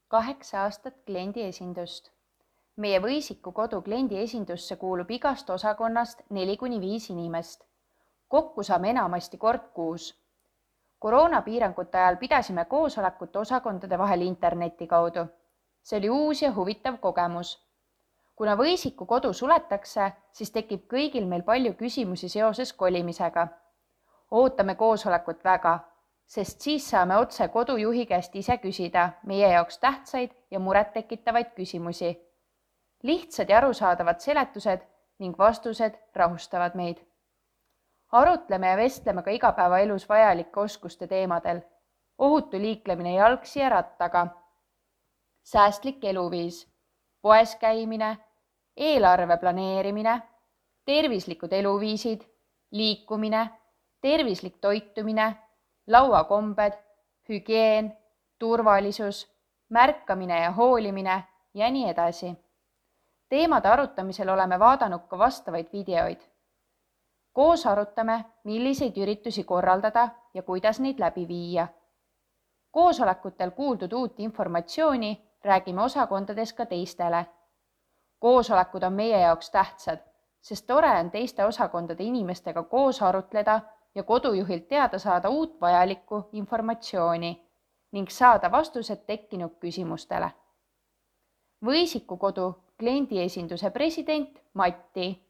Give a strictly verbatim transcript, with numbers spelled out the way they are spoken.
kaheksa aastat kliendiesindust. Meie Võisiku kodu kliendiesindusse kuulub igast osakonnast neli kuni viis inimest. Kokku saame enamasti kord kuus. Koroonapiirangute ajal pidasime koosolekut osakondade vahel interneti kaudu. See oli uus ja huvitav kogemus. Kuna Võisiku kodu suletakse, siis tekib kõigil meil palju küsimusi seoses kolimisega. Ootame koosolekut väga, sest siis saame otse kodujuhi käest ise küsida meie jaoks tähtsaid ja muret tekitavaid küsimusi. Lihtsad ja arusaadavad seletused ning vastused rahustavad meid. Arutleme ja vestleme ka igapäevaelus vajalike oskuste teemadel. Ohutu liiklemine jalgsi ja rattaga. Säästlik eluviis, poes käimine, eelarve planeerimine, tervislikud eluviisid, liikumine, tervislik toitumine, lauakombed, hügieen, turvalisus, märkamine ja hoolimine ja nii edasi. Teemade arutamisel oleme vaadanud ka vastavaid videoid. Koos arutame, milliseid üritusi korraldada ja kuidas neid läbi viia. Koosolekutel kuuldud uut informatsiooni räägime osakondades ka teistele. Koosolekud on meie jaoks tähtsad, sest tore on teiste osakondade inimestega koos arutleda ja kodujuhilt teada saada uut vajalikku informatsiooni ning saada vastused tekkinud küsimustele. Võisiku kodu kliendiesinduse president Matti.